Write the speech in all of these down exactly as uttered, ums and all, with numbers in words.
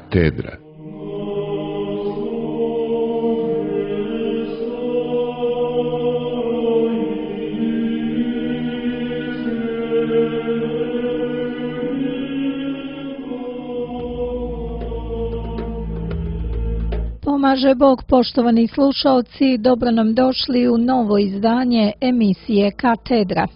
Katedra. Pomaže Bog, poštovani slušaoci, dobro nam došli u novo izdanje emisije Katedra.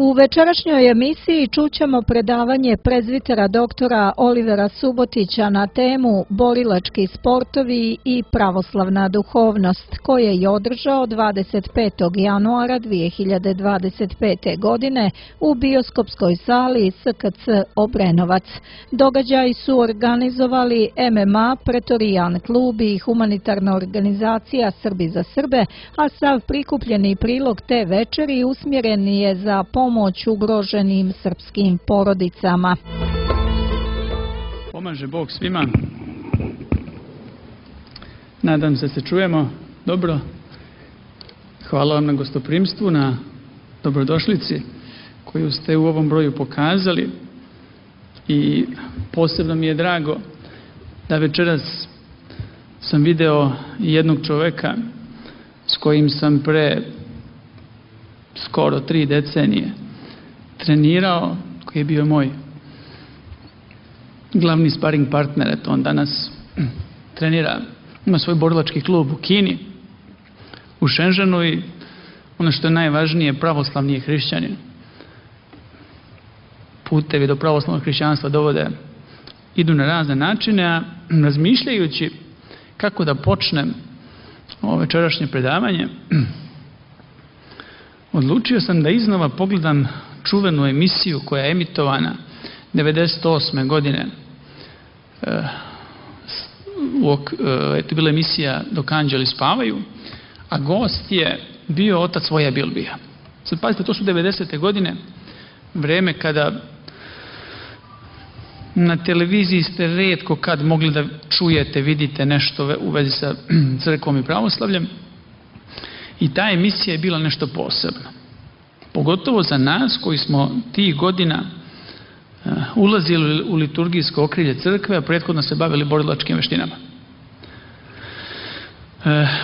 U večerašnjoj emisiji čućemo predavanje prezbitera doktora Olivera Subotića na temu Borilački sportovi i pravoslavna duhovnost, koje je održao dvadeset petog januara dvije hiljade dvadeset pete. godine u bioskopskoj sali S K C Obrenovac. Događaji su organizovali M M A, Pretorijan klub i humanitarna organizacija Srbi za Srbe, a sav prikupljeni prilog te večeri usmjeren je za pomoć pomoć ugroženim srpskim porodicama. Pomaže Bog svima. Nadam se se čujemo dobro. Hvala vam na gostoprimstvu, na dobrodošlici koju ste u ovom broju pokazali i posebno mi je drago da večeras sam video jednog čoveka s kojim sam pre skoro tri decenije trenirao, koji je bio moj glavni sparing partner. Eto, on danas trenira, ima svoj borilački klub u Kini, u Šenženu, i ono što je najvažnije, pravoslavni je hrišćanin. Putevi do pravoslavnog hrišćanstva dovode, idu na razne načine, a razmišljajući kako da počnem ovo večerašnje predavanje, odlučio sam da iznova pogledam čuvenu emisiju koja je emitovana devedeset osme. godine. E, to je bila emisija Dok anđeli spavaju, a gost je bio otac Voja Bilbija. Sad pazite, to su devedesete. godine, vreme kada na televiziji ste retko kad mogli da čujete, vidite nešto u vezi sa crkvom i pravoslavljem. I ta emisija je bila nešto posebno. Pogotovo za nas koji smo tih godina uh, ulazili u liturgijsko okrilje crkve, a prethodno se bavili borilačkim veštinama. Uh,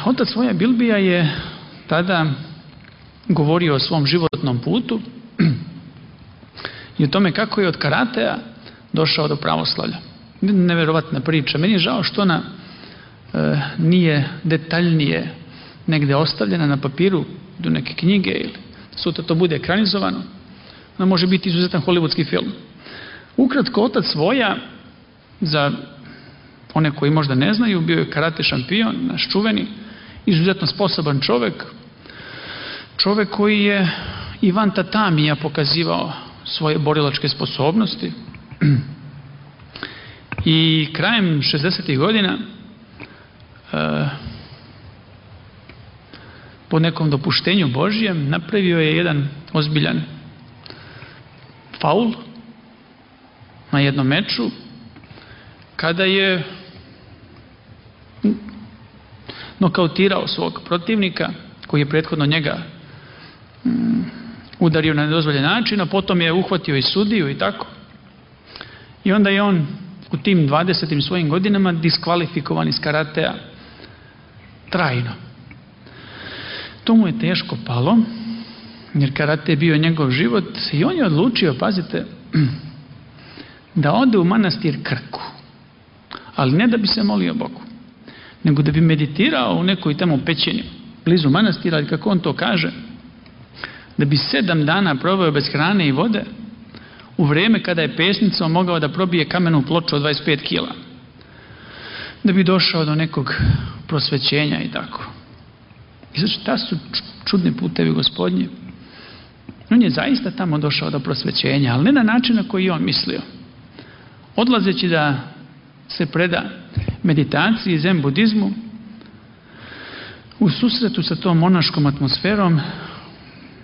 otac Voja Bilbija je tada govorio o svom životnom putu i o tome kako je od karatea došao do pravoslavlja. Neverovatna priča. Meni je žao što ona uh, nije detaljnije negde ostavljena na papiru do neke knjige ili sutra to bude ekranizovano. Ona može biti izuzetan hollywoodski film. Ukratko, otac Voja, za one koji možda ne znaju, bio je karate šampion, naš čuveni, izuzetno sposoban čovek, čovek koji je i van tatamija pokazivao svoje borilačke sposobnosti. I krajem šezdesetih godina uh, po nekom dopuštenju Božijem napravio je jedan ozbiljan faul na jednom meču, kada je nokautirao svog protivnika koji je prethodno njega um, udario na nedozvoljen način, a potom je uhvatio i sudiju i tako. I onda je on u tim dvadesetim svojim godinama diskvalifikovan iz karatea trajno. To mu je teško palo, jer karate je bio njegov život, i on je odlučio, pazite, da ode u manastir Krku, ali ne da bi se molio Bogu, nego da bi meditirao u nekoj tamo pećini blizu manastira, ali kako on to kaže, da bi sedam dana proveo bez hrane i vode, u vreme kada je pesnicom mogao da probije kamenu ploču od dvadeset pet kila, da bi došao do nekog prosvećenja i tako. I znači, ta su čudni putevi Gospodnji. On je zaista tamo došao do prosvećenja, ali ne na način na koji je on mislio. Odlazeći da se preda meditaciji, zen budizmu, u susretu sa tom monaškom atmosferom,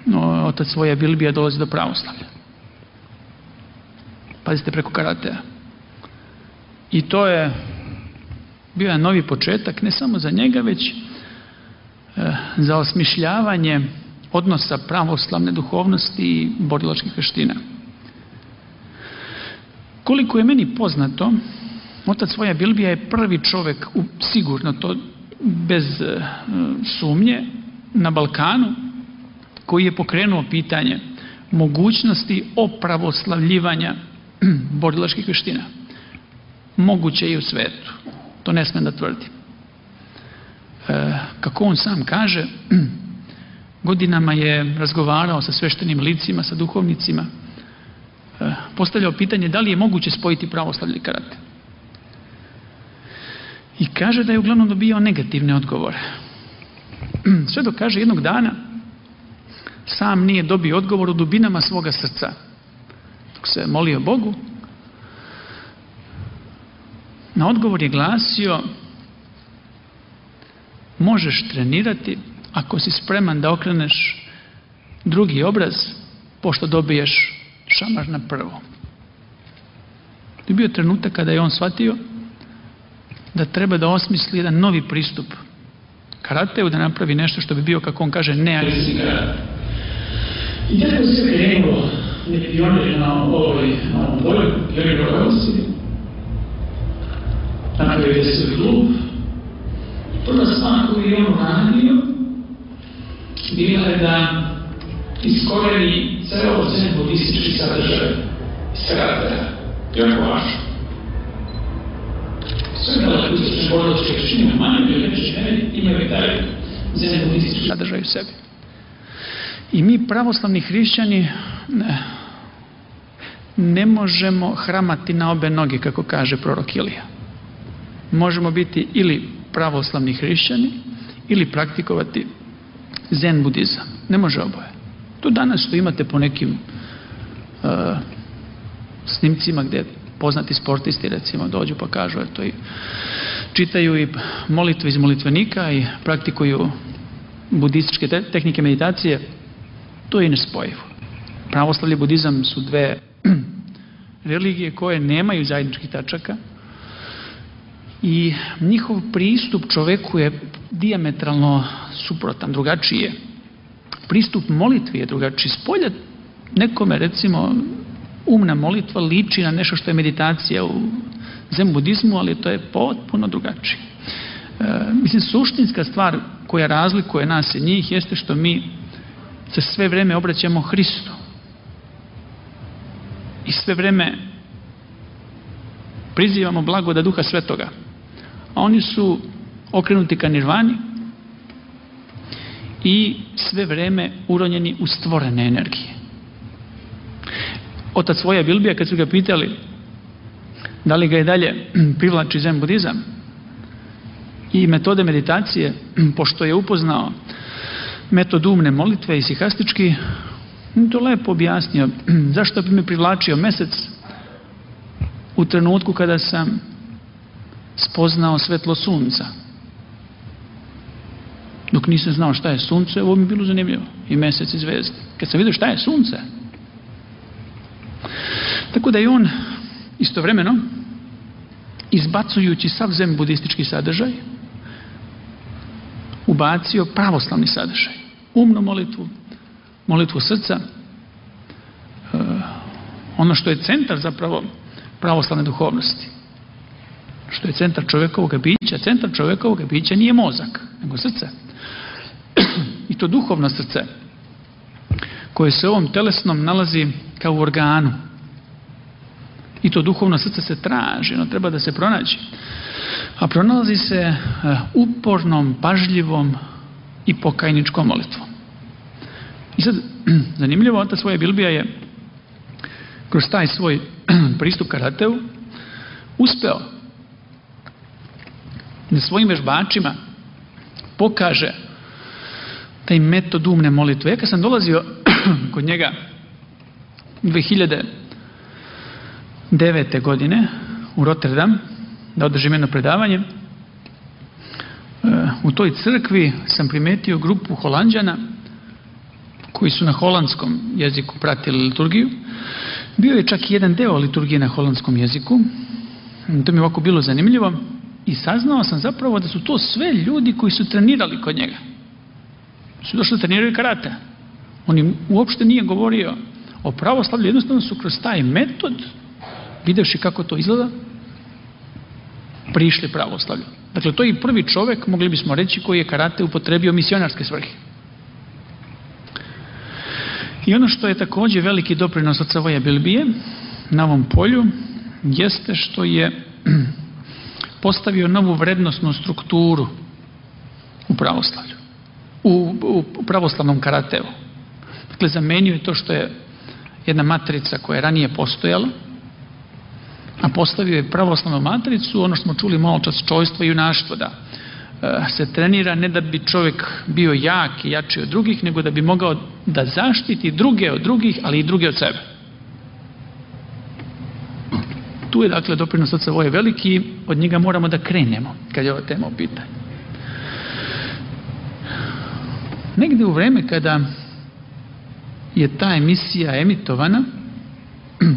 no, otac Voja Bilbija dolazi do pravoslavlja. Pazite, preko karatea. I to je bio novi početak, ne samo za njega, već za osmišljavanje odnosa pravoslavne duhovnosti i borilačkih veština. Koliko je meni poznato, otac Voja Bilbija je prvi čovjek, sigurno to bez sumnje, na Balkanu, koji je pokrenuo pitanje mogućnosti opravoslavljivanja borilačkih vještina. Moguće i u svetu. To ne smijem da tvrdim. E, kako on sam kaže, godinama je razgovarao sa sveštenim licima, sa duhovnicima, e, postavljao pitanje da li je moguće spojiti pravoslavlje i karate. I kaže da je uglavnom dobio negativne odgovore. Sve dok kaže jednog dana sam nije dobio odgovor u dubinama svoga srca. Dok se molio Bogu, na odgovor je glasio: možeš trenirati ako si spreman da okreneš drugi obraz pošto dobiješ šamar na prvo. To je bio trenutak kada je on shvatio da treba da osmisli jedan novi pristup karateu, da napravi nešto što bi bio, kako on kaže, neagresivni karate. I tako se krenulo neki pionir na ovoj polju, pionir Rogosi, napravio je svoj klub. Prva stvar koju je on radio bila je da iskoreni ceo zen budistički sadržaj iz karatea. Jako važno. Sve daleko istočne borilačke vještine, manje ili veće meri, imaju taj zen budistički sadržaj u sebi. I mi, pravoslavni hrišćani, ne, ne možemo hramati na obe noge, kako kaže prorok Ilija. Možemo biti ili pravoslavni hrišćani ili praktikovati zen budizam. Ne može oboje. To danas što imate po nekim uh, snimcima gdje poznati sportisti recimo dođu pa kažu eto, i čitaju i molitve iz molitvenika i praktikuju budističke te tehnike meditacije. To je nespojivo. Pravoslavlje i budizam su dve religije koje nemaju zajedničkih tačaka i njihov pristup čoveku je dijametralno suprotan, drugačiji je. Pristup molitvi je drugačiji. Spolja nekome, recimo, umna molitva liči na nešto što je meditacija u zen budizmu, ali to je potpuno drugačije. E, mislim, suštinska stvar koja razlikuje nas i njih jeste što mi se sve vreme obraćamo Hristu. I sve vreme prizivamo blagodat Duha Svetoga. A oni su okrenuti ka nirvani i sve vreme uronjeni u stvorene energije. Otac Voja Bilbija, kad su ga pitali da li ga je dalje privlači zen budizam i metode meditacije, pošto je upoznao metod umne molitve i sihastički, to lepo objasnio. Zašto bi me privlačio mesec u trenutku kada sam spoznao svetlo sunca? Dok nisam znao šta je sunce, ovo mi je bilo zanimljivo. I mesec i zvezde. Kad sam vidio šta je sunce. Tako da je on istovremeno, izbacujući sav zen budistički sadržaj, ubacio pravoslavni sadržaj. Umnu molitvu, molitvu srca, ono što je centar zapravo pravoslavne duhovnosti. Što je centar čovjekovog bića. Centar čovjekovog bića nije mozak, nego srce. I to duhovno srce, koje se u ovom telesnom nalazi kao u organu. I to duhovno srce se traži, ono treba da se pronađe. A pronalazi se upornom, pažljivom i pokajničkom molitvom. I sad, zanimljivo, otac Voja Bilbija je kroz taj svoj pristup karateu uspeo da svojim vežbačima pokaže taj metod umne molitve. Ja kad sam dolazio kod njega dve hiljade devete. godine u Rotterdam da održim jedno predavanje, u toj crkvi sam primetio grupu Holanđana koji su na holandskom jeziku pratili liturgiju. Bio je čak i jedan deo liturgije na holandskom jeziku. To mi je ovako bilo zanimljivo i saznao sam zapravo da su to sve ljudi koji su trenirali kod njega. Su došli da treniraju karate. On im uopšte nije govorio o pravoslavlju, jednostavno su kroz taj metod videvši kako to izgleda, prišli pravoslavlju. Dakle, to je i prvi čovjek, mogli bismo reći, koji je karate upotrebio misionarske svrhe. I ono što je također veliki doprinos od Savoja Bilbije na ovom polju, jeste što je postavio novu vrednosnu strukturu u pravoslavlju, u, u pravoslavnom karateu. Dakle, zamenio je to što je jedna matrica koja je ranije postojala, a postavio je pravoslavnu matricu, ono što smo čuli malo čas, čojstvo i junaštvo, da e, se trenira ne da bi čovjek bio jak i jači od drugih, nego da bi mogao da zaštiti druge od drugih, ali i druge od sebe. Tu je, dakle, doprinos od Savoje veliki, od njega moramo da krenemo kad je ova tema u pitanju. Negde u vreme kada je ta emisija emitovana,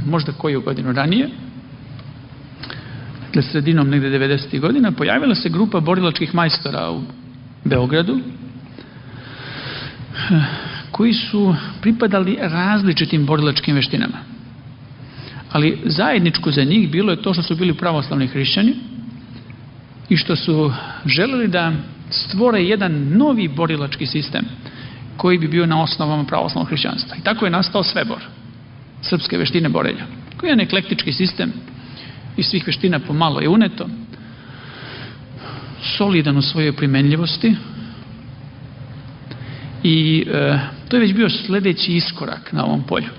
možda koju godinu ranije, dakle sredinom negde devedesetih godina, pojavila se grupa borilačkih majstora u Beogradu, koji su pripadali različitim borilačkim veštinama. Ali zajedničko za njih bilo je to što su bili pravoslavni hrišćani i što su želeli da stvore jedan novi borilački sistem koji bi bio na osnovama pravoslavnog hrišćanstva. I tako je nastao Svebor, srpske veštine borenja, koji je jedan eklektički sistem iz svih veština pomalo je uneto, solidan u svojoj primenljivosti i e, to je već bio sljedeći iskorak na ovom polju.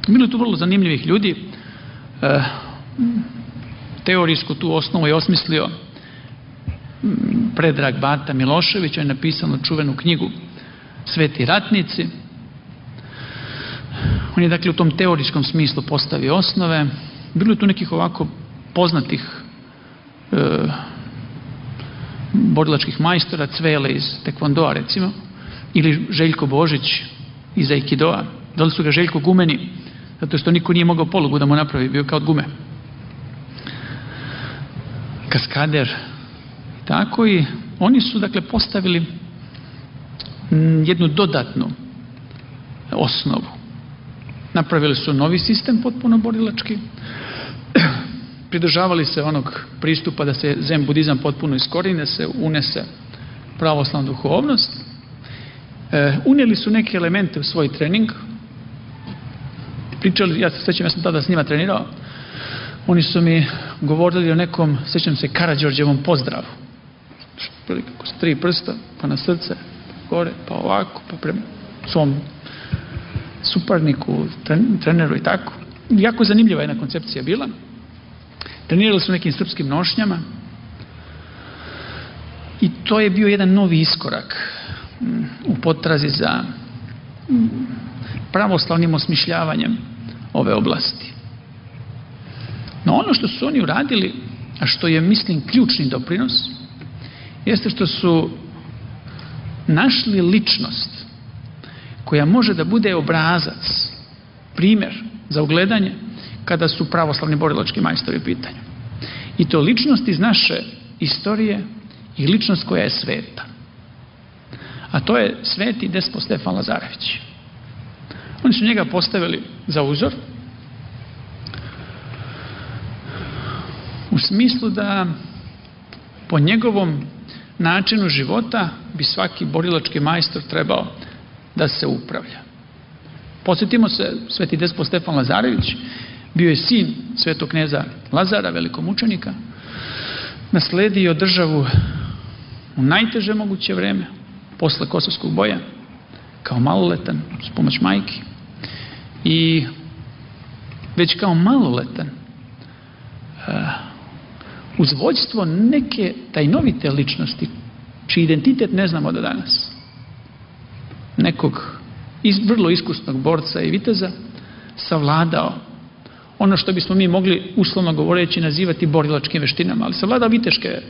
Bilo je tu vrlo zanimljivih ljudi. E, teorijsku tu osnovu je osmislio Predrag Bata Milošević, on je napisao čuvenu knjigu Sveti ratnici. On je, dakle, u tom teorijskom smislu postavio osnove. Bilo je tu nekih ovako poznatih e, borilačkih majstora, Cvele iz Tekvondoa recimo, ili Željko Božić iz Aikidoa. Da li su ga Željko gumeni, zato što niko nije mogao polugu da mu napravi, bio kao od gume. Kaskader. Tako i oni su, dakle, postavili jednu dodatnu osnovu. Napravili su novi sistem potpuno borilački, pridržavali se onog pristupa da se zen budizam potpuno iskorine, se unese pravoslavna duhovnost. E, unijeli su neke elemente u svoj trening. Pričali, ja se sjećam, ja sam tada s njima trenirao, oni su mi govorili o nekom, sjećam se, Karađorđevom pozdravu. Kako su tri prsta, pa na srce, gore, pa ovako, pa prema svom suparniku, treneru i tako. Jako zanimljiva jedna koncepcija bila. Trenirali su nekim srpskim nošnjama i to je bio jedan novi iskorak u potrazi za pravoslavnim osmišljavanjem ove oblasti. No ono što su oni uradili, a što je, mislim, ključni doprinos, jeste što su našli ličnost koja može da bude obrazac, primjer za ugledanje kada su pravoslavni borilački majstori u pitanju. I to ličnost iz naše istorije i ličnost koja je sveta. A to je sveti despot Stefan Lazarević. Oni su njega postavili za uzor u smislu da po njegovom načinu života bi svaki borilački majstor trebao da se upravlja. Podsjetimo se, sveti despot Stefan Lazarević bio je sin svetog kneza Lazara, velikomučenika, nasledio državu u najteže moguće vreme, posle Kosovskog boja, kao maloletan, s pomoć majki. I već kao maloletan, uz vođstvo neke tajnovite ličnosti, čiji identitet ne znamo do danas, nekog iz, vrlo iskusnog borca i viteza, savladao ono što bismo mi mogli, uslovno govoreći, nazivati borilačkim veštinama, ali savladao viteške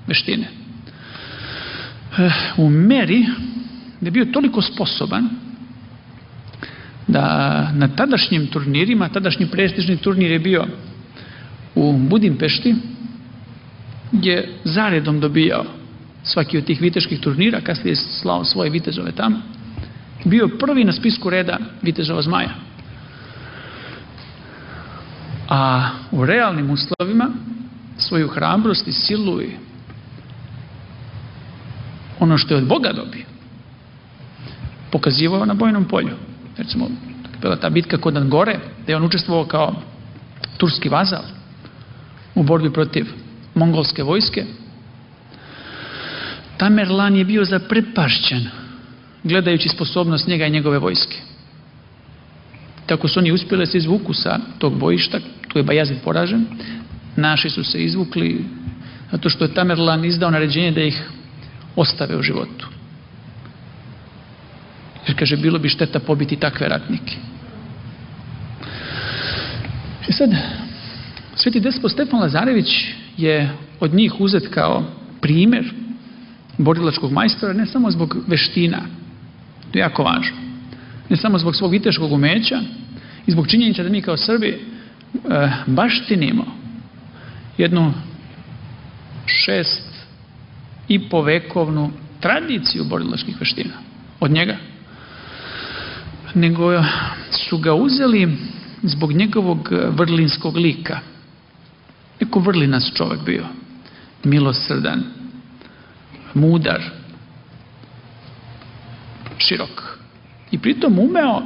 veštine. U meri da je bio toliko sposoban da na tadašnjim turnirima, tadašnji prestižni turnir je bio u Budimpešti, je zaredom dobijao svaki od tih viteških turnira, kasnije je slao svoje vitezove tamo, bio prvi na spisku reda vitezova zmaja. a u realnim uslovima svoju hrabrost i silu i ono što je od Boga dobio pokazivao na bojnom polju. Recimo, bila ta bitka kod Angore, gdje je on učestvovao kao turski vazal u borbi protiv mongolske vojske. Tamerlan je bio zaprepašćen gledajući sposobnost njega i njegove vojske. Tako su oni uspjeli se izvuku sa tog bojišta, tu je Bajazid poražen, naši su se izvukli zato što je Tamerlan izdao naređenje da ih ostave u životu. Jer kaže, bilo bi šteta pobiti takve ratnike. I sad, Sveti despot Stefan Lazarević je od njih uzet kao primjer borilačkog majstora, ne samo zbog veština, to je jako važno, ne samo zbog svog viteškog umeća i zbog činjenica da mi kao Srbi e, baštinimo jednu šest i po vekovnu tradiciju borilačkih veština od njega, nego su ga uzeli zbog njegovog vrlinskog lika. Neko vrlinas čovjek bio, milosrdan, mudar, širok. I pritom umeo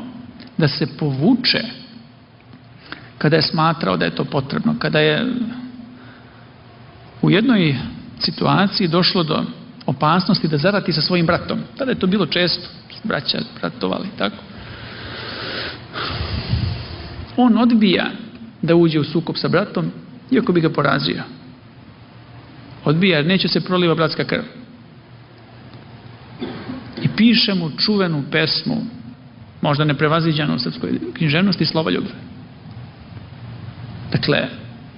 da se povuče kada je smatrao da je to potrebno, kada je u jednoj situaciji došlo do opasnosti da zarati sa svojim bratom. Tada je to bilo često, braća bratovali, tako. On odbija da uđe u sukob sa bratom, iako bi ga porazio. Odbija jer neće se proliva bratska krv. I piše mu čuvenu pesmu, možda neprevaziđanu u srpskoj književnosti, Slavoljube. Dakle,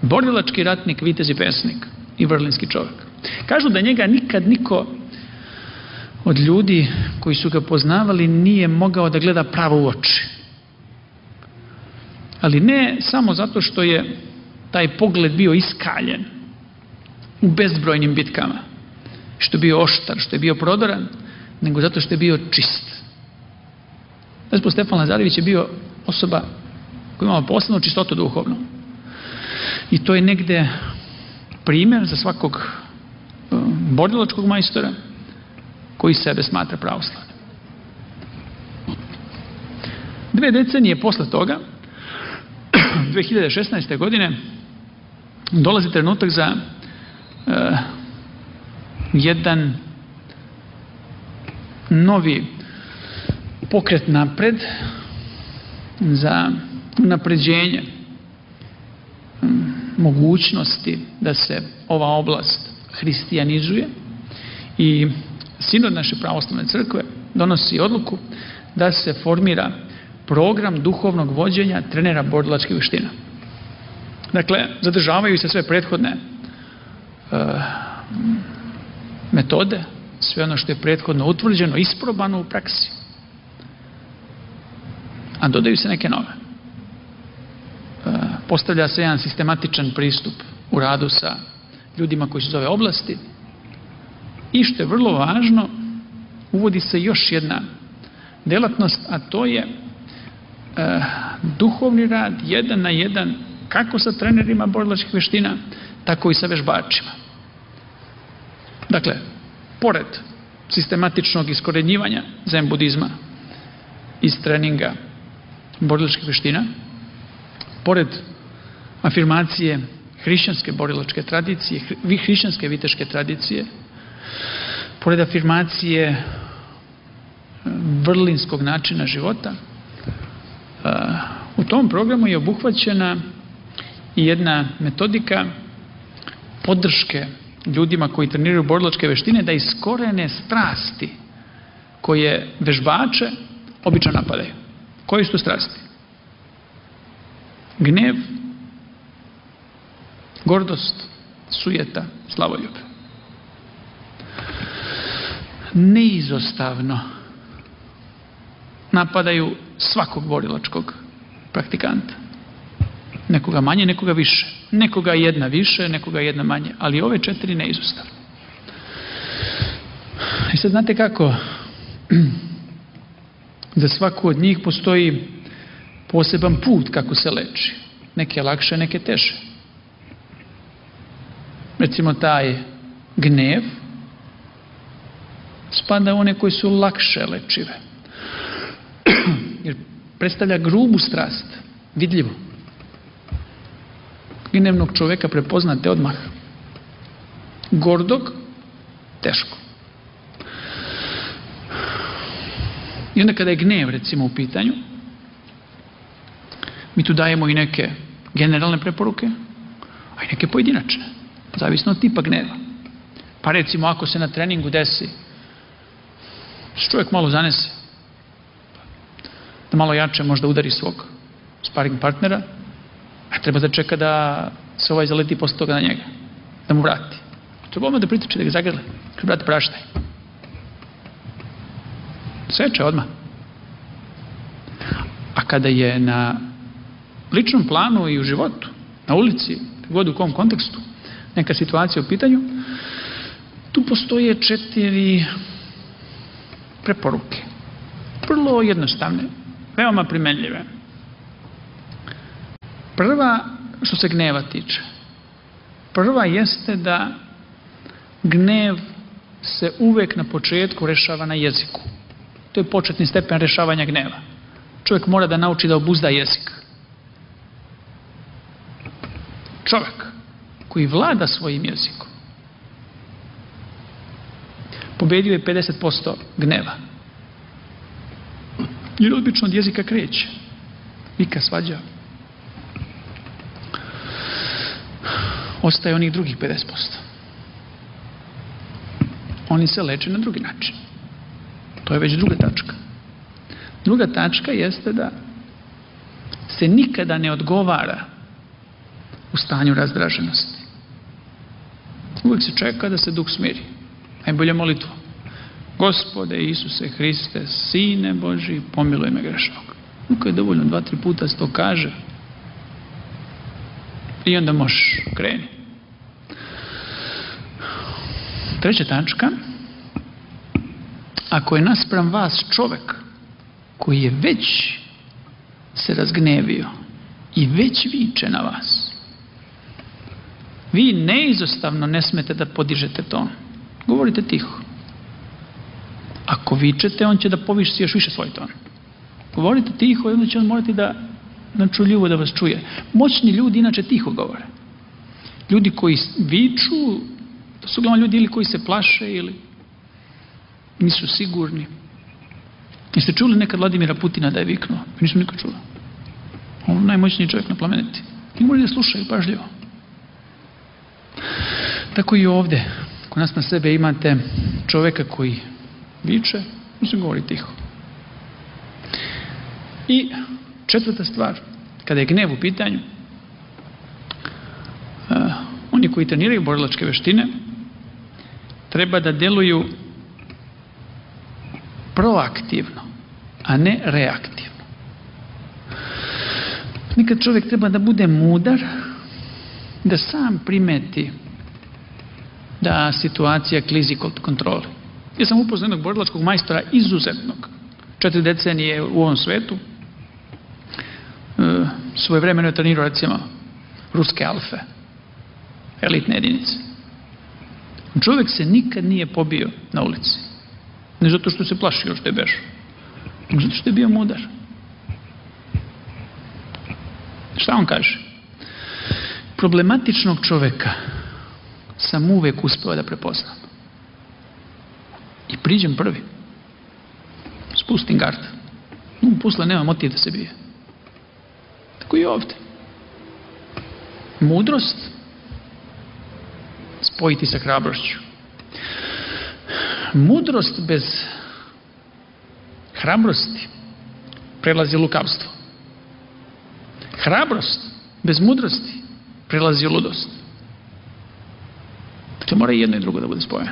borilački ratnik, vitez i pesnik i vrlinski čovjek. Kažu da njega nikad niko od ljudi koji su ga poznavali nije mogao da gleda pravo u oči. Ali ne samo zato što je taj pogled bio iskaljen u bezbrojnim bitkama, što je bio oštar, što je bio prodoran, nego zato što je bio čist. Despot Stefan Lazarević je bio osoba koja imala posebnu čistotu duhovnu. I to je negde primjer za svakog borilačkog majstora koji sebe smatra pravoslavnim. Dve decenije posle toga, dve hiljade šesnaeste. godine, dolazi trenutak za uh, jedan novi pokret napred, za unapređenje um, mogućnosti da se ova oblast hristijanizuje, i sinod naše pravoslavne crkve donosi odluku da se formira program duhovnog vođenja trenera borilačkih veština. Dakle, zadržavaju se sve prethodne uh, metode, sve ono što je prethodno utvrđeno, isprobano u praksi, a dodaju se neke nove. Uh, postavlja se jedan sistematičan pristup u radu sa ljudima koji su iz ove oblasti, i što je vrlo važno, uvodi se još jedna delatnost, a to je uh, duhovni rad jedan na jedan, kako sa trenerima borilačkih veština, tako i sa vežbačima. Dakle, pored sistematičnog iskorenjivanja zen budizma iz treninga borilačkih veština, pored afirmacije hrišćanske borilačke tradicije, hrišćanske viteške tradicije, pored afirmacije vrlinskog načina života, u tom programu je obuhvaćena i jedna metodika podrške ljudima koji treniraju borilačke veštine da iskorene strasti koje vežbače obično napadaju. Koje su to strasti? Gnev, gordost, sujeta, slavoljube. Neizostavno napadaju svakog borilačkog praktikanta. Nekoga manje, nekoga više. Nekoga jedna više, nekoga jedna manje. Ali ove četiri neizostavno. I sad znate kako? Za svaku od njih postoji poseban put kako se leči. neke lakše, neke teže. Recimo taj gnev spada u one koji su lakše lečive. Jer predstavlja grubu strast, vidljivo. Gnevnog čoveka prepoznate odmah. Gordog, teško. I onda kada je gnev, recimo, u pitanju, mi tu dajemo i neke generalne preporuke, a i neke pojedinačne, zavisno od tipa gneva. Pa recimo, ako se na treningu desi, se čovjek malo zanese, da malo jače možda udari svog sparing partnera, a treba da čeka da se ovaj zaleti posle toga na njega, da mu vrati. Treba odmah da pritiče, da ga zagrle. Kaže, brate, praštaj. Seče odmah. A kada je na ličnom planu i u životu, na ulici, god u kom kontekstu, neka situacija u pitanju, tu postoje četiri preporuke. Vrlo jednostavne, veoma primenljive. Prva, što se gneva tiče, prva jeste da gnev se uvek na početku rešava na jeziku. To je početni stepen rešavanja gneva. Čovjek mora da nauči da obuzda jezik. Čovjek koji vlada svojim jezikom pobedio je pedeset posto gneva. Jer obično od jezika kreće. Vika, svađa. Ostaje onih drugih pedeset posto. Oni se leče na drugi način. To je već druga tačka. Druga tačka jeste da se nikada ne odgovara u stanju razdraženosti. Uvijek se čeka da se duh smiri. Najbolja molitva. Gospode Isuse Hriste, Sine Boži, pomiluj me grešnog. Uvijek je dovoljno, dva, tri puta se to kaže. I onda možeš kreni. Treća tačka. Ako je naspram vas čovek koji je već se razgnevio i već viče na vas, vi neizostavno ne smete da podižete ton. Govorite tiho. Ako vičete, on će da poviši još više svoj ton. Govorite tiho i onda će on morati da načuljivo da vas čuje. Moćni ljudi inače tiho govore. Ljudi koji viču, to su uglavnom ljudi ili koji se plaše ili nisu sigurni. Jeste čuli nekad Vladimira Putina da je viknuo? Nisam nikad čula. On je najmoćniji čovjek na planeti. I moraju da slušaju pažljivo. Tako i ovde. Kod nas na sebe imate čovjeka koji viče, mislim govori tiho. I četvrta stvar, kada je gnev u pitanju, uh, oni koji treniraju borilačke veštine treba da deluju proaktivno, a ne reaktivno. Nekad čovjek treba da bude mudar, da sam primeti da situacija klizi kod kontrole. Ja sam upoznao jednog borilačkog majstora izuzetnog, četiri decenije u ovom svetu, e, svojevremeno je trenirao recimo ruske alfe, elitne jedinice. Čovjek se nikad nije pobio na ulici. Ne zato što se plašio što je bešao, nego zato što je bio mudar. Šta on kaže? Problematičnog čovjeka sam uvek uspeo da prepoznam. I priđem prvi. Spustim gard. Um, pusle nema motiv da se bije. Tako i ovdje. Mudrost spojiti sa hrabrošću. Mudrost bez hrabrosti prelazi u lukavstvo. Hrabrost bez mudrosti prelazi u ludost. Dakle, mora i jedno i drugo da bude spojeno.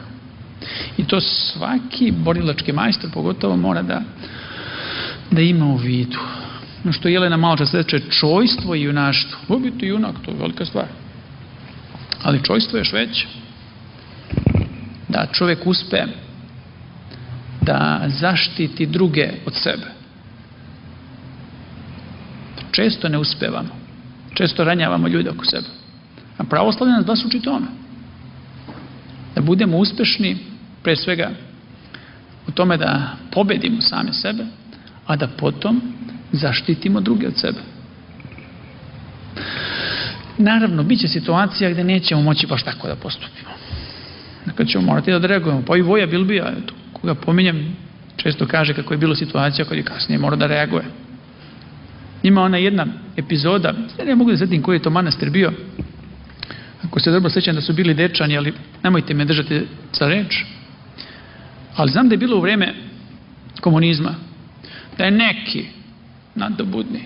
I to svaki borilački majstor pogotovo mora da, da ima u vidu. No što Jelena malo čas reče, čojstvo i junaštvo. Ovo biti junak, to je velika stvar. Ali čojstvo je još veće. Da čovjek uspe da zaštiti druge od sebe. Često ne uspevamo. često ranjavamo ljude oko sebe. A pravoslavlje nas baš uči tome. Da budemo uspešni, pre svega, u tome da pobedimo same sebe, a da potom zaštitimo druge od sebe. Naravno, bit će situacija gde nećemo moći baš tako da postupimo. Dakle, ćemo morati da reagujemo. Pa i Voja Bilbija, koga pominjem, često kaže kako je bilo situacija kad je kasnije mora da reaguje. Ima ona jedna epizoda, ne mogu da setim koji je to manastir bio, ako se dobro sećam da su bili dečani, ali nemojte me držati za reč, ali znam da je bilo u vreme komunizma, da je neki nadobudni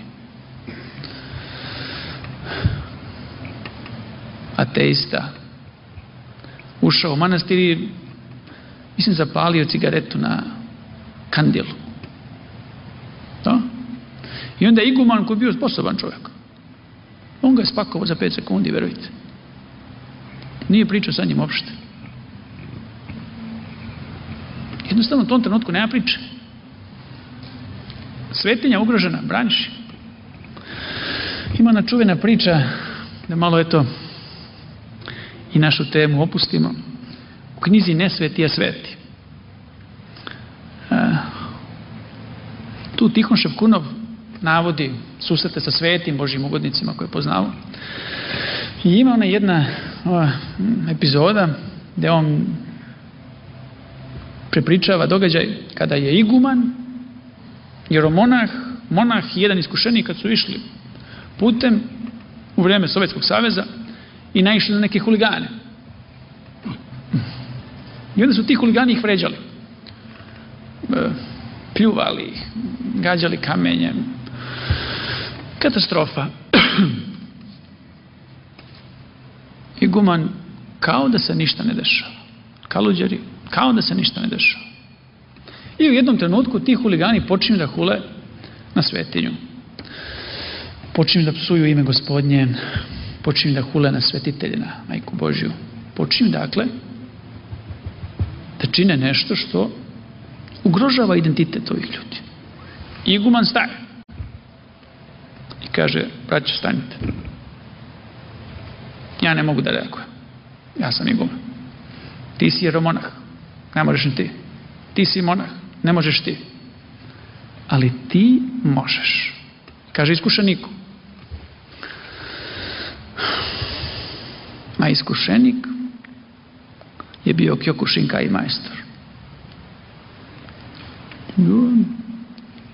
ateista ušao u manastir i mislim zapalio cigaretu na kandilu. Da? I onda je iguman koji je bio sposoban čovjek. On ga je spakovao za pet sekundi, verujte. Nije pričao sa njim uopšte. Jednostavno u tom trenutku nema priče. Svetinja ugrožena, braniš. Ima ona čuvena priča, da malo eto i našu temu opustimo. U knjizi Ne sveti, a sveti. A, tu Tihon Ševkunov navodi susrete sa svetim Božjim ugodnicima koje je poznao. I ima ona jedna ova, epizoda gde on prepričava događaj kada je iguman, jeromonah, monah i jedan iskušenik kad su išli putem u vreme Sovjetskog saveza i naišli na neke huligane. I onda su ti huligani ih vređali. Pljuvali ih, gađali kamenjem. Katastrofa. Iguman kao da se ništa ne dešava. Kaluđeri, kao da se ništa ne dešava. I u jednom trenutku ti huligani počinju da hule na svetinju. Počinju da psuju ime Gospodnje, počinju da hule na svetitelje, na Majku Božju. Počinju, dakle, da čine nešto što ugrožava identitet ovih ljudi. Iguman staje i kaže, braćo, stanite. Ja ne mogu da reagujem. Ja sam iguman. Ti si jeromonah, ne možeš ni ti. Ti si monah, ne možeš ti. Ali ti možeš. Kaže iskušeniku. A iskušenik je bio Kyokushinkai majstor.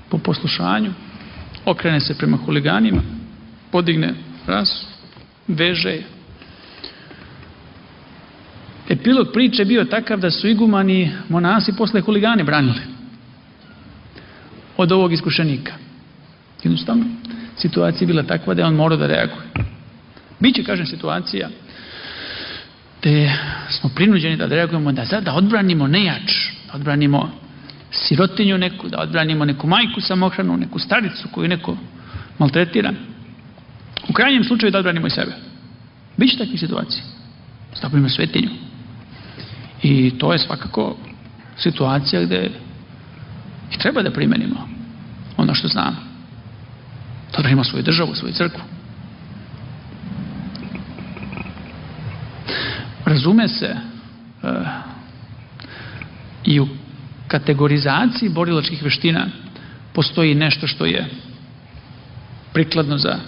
Po poslušanju okrene se prema huliganima, podigne rasu, veže je. Epilog priče bio takav da su igumani monasi posle huligane branili od ovog iskušenika. Jednostavno, situacija je bila takva da je on morao da reaguje. Biće, kažem, situacija gde smo prinuđeni da reagujemo, da, da odbranimo nejač, da odbranimo sirotinju neku, da odbranimo neku majku samohranu, neku staricu koju neko maltretira. U krajnjem slučaju da odbranimo i sebe. Biće takvih situacija. Stavimo svetinju. I to je svakako situacija gde i treba da primenimo ono što znamo. Da odbranimo svoju državu, svoju crkvu. Razume se uh, i u kategorizaciji borilačkih veština postoji nešto što je prikladno za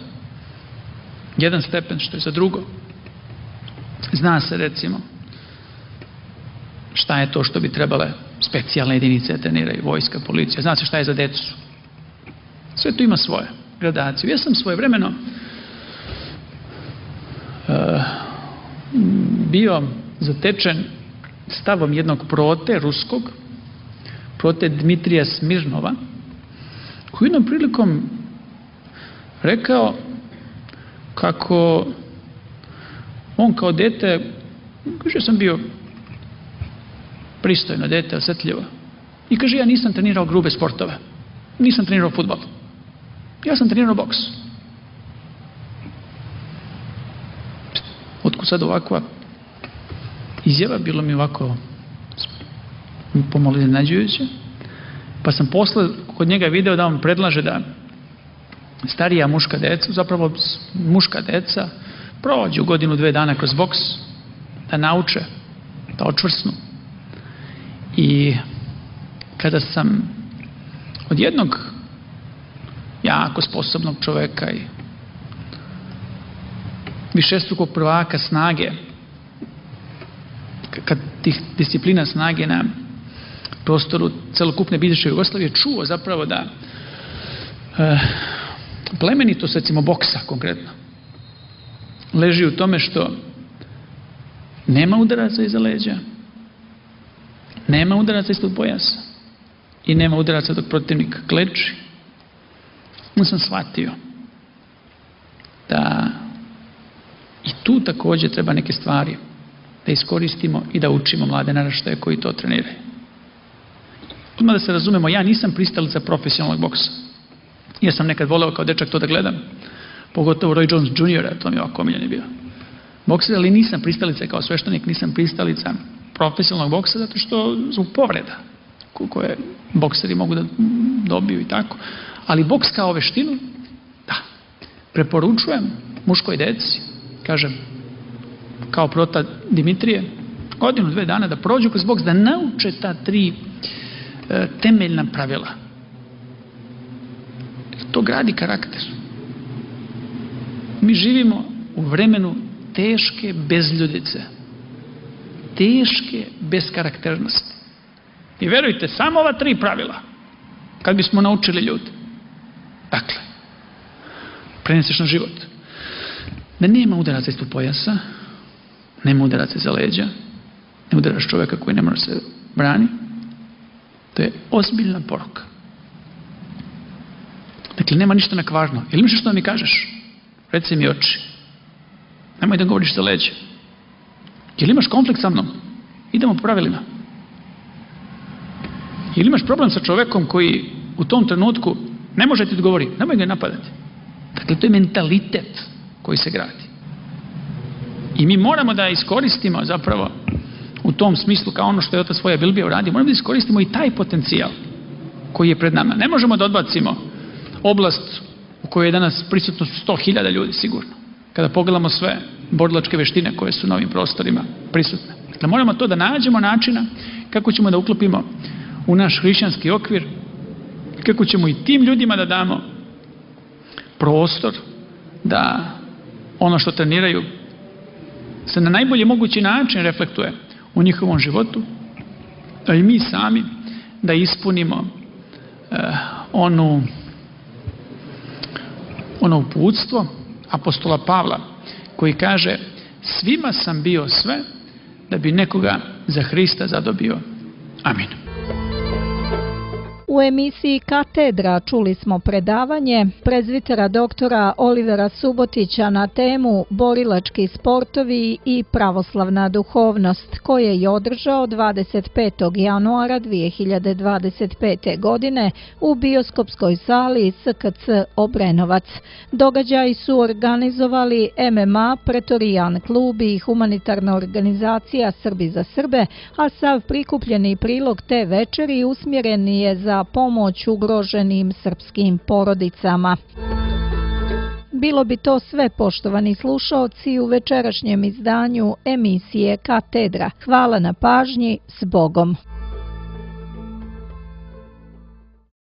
jedan stepen, što je za drugo. Zna se, recimo, šta je to što bi trebale specijalne jedinice da treniraju, vojska, policija. Zna se šta je za decu. Sve to ima svoje gradacije. Ja sam svojevremeno uh, bio zatečen stavom jednog prote ruskog, prote Dmitrija Smirnova, koji jednom prilikom rekao kako on kao dete, kaže, sam bio pristojno dete, osjetljivo. I kaže, ja nisam trenirao grube sportove. Nisam trenirao fudbal. Ja sam trenirao boks. Otkud sad ovakva izjava, bilo mi ovako pomalo iznenađujuće. Pa sam posle kod njega video da on predlaže da starija muška deca, zapravo muška deca, prođu godinu, dve dana kroz boks, da nauče, da očvrsnu. I kada sam od jednog jako sposobnog čoveka i višestrukog prvaka snage, kad tih disciplina snage na prostoru celokupne bivše Jugoslavije čuo zapravo da e, plemenitost, recimo boksa konkretno, leži u tome što nema udaraca iza leđa, nema udaraca ispod pojasa i nema udaraca dok protivnik kleči. Onda sam shvatio da i tu također treba neke stvari da iskoristimo i da učimo mlade naraštaje koji to treniraju. Odmah da se razumemo, ja nisam pristalica profesionalnog boksa. Ja sam nekad voleo kao dečak to da gledam, pogotovo Roy Jones junior, to mi je ovako omiljen bio bokser, ali nisam pristalica kao sveštenik, nisam pristalica profesionalnog boksa zato što zbog povreda koje bokseri mogu da dobiju i tako. Ali boks kao veštinu, da, preporučujem muškoj deci, kažem, kao prota Dimitrije, godinu, dve dana da prođu kroz boks, da nauče ta tri e, temeljna pravila. To gradi karakter. Mi živimo u vremenu teške bezljudice, teške beskarakternosti. I verujte, samo ova tri pravila, kad bismo naučili ljudi, dakle, preneseš na život, da nema udaraca ispod pojasa, nema udaraca iza leđa, ne udaraš čovjeka koji ne može se brani, to je ozbiljna poruka. Dakle, nema ništa nakvarno. Ili imaš što da mi kažeš? Reci mi oči. Nemoj da govoriš za leđe. Ili imaš konflikt sa mnom? Idemo po pravilima. Ili imaš problem sa čovekom koji u tom trenutku ne može ti odgovori? Nemoj ga napadati. Dakle, to je mentalitet koji se gradi. I mi moramo da iskoristimo zapravo u tom smislu kao ono što je otac svoja Bilbija uradio, moramo da iskoristimo i taj potencijal koji je pred nama. Ne možemo da odbacimo oblast u kojoj je danas prisutno sto hiljada ljudi sigurno. Kada pogledamo sve borilačke veštine koje su na ovim prostorima prisutne. Dakle, moramo to da nađemo načina kako ćemo da uklopimo u naš hrišćanski okvir i kako ćemo i tim ljudima da damo prostor da ono što treniraju se na najbolji mogući način reflektuje u njihovom životu, a i mi sami da ispunimo eh, onu ono uputstvo apostola Pavla koji kaže: svima sam bio sve da bi nekoga za Hrista zadobio. Amin. U emisiji Katedra čuli smo predavanje prezvitera doktora Olivera Subotića na temu Borilački sportovi i pravoslavna duhovnost, koje je održao dvadeset petog januara dvije hiljade dvadeset pete. godine u bioskopskoj sali S K C Obrenovac. Događaji su organizovali M M A, Pretorijan klub i humanitarna organizacija Srbi za Srbe, a sav prikupljeni prilog te večeri usmjeren je za pomoć ugroženim srpskim porodicama. Bilo bi to sve, poštovani slušaoci, u večerašnjem izdanju emisije Katedra. Hvala na pažnji, s Bogom.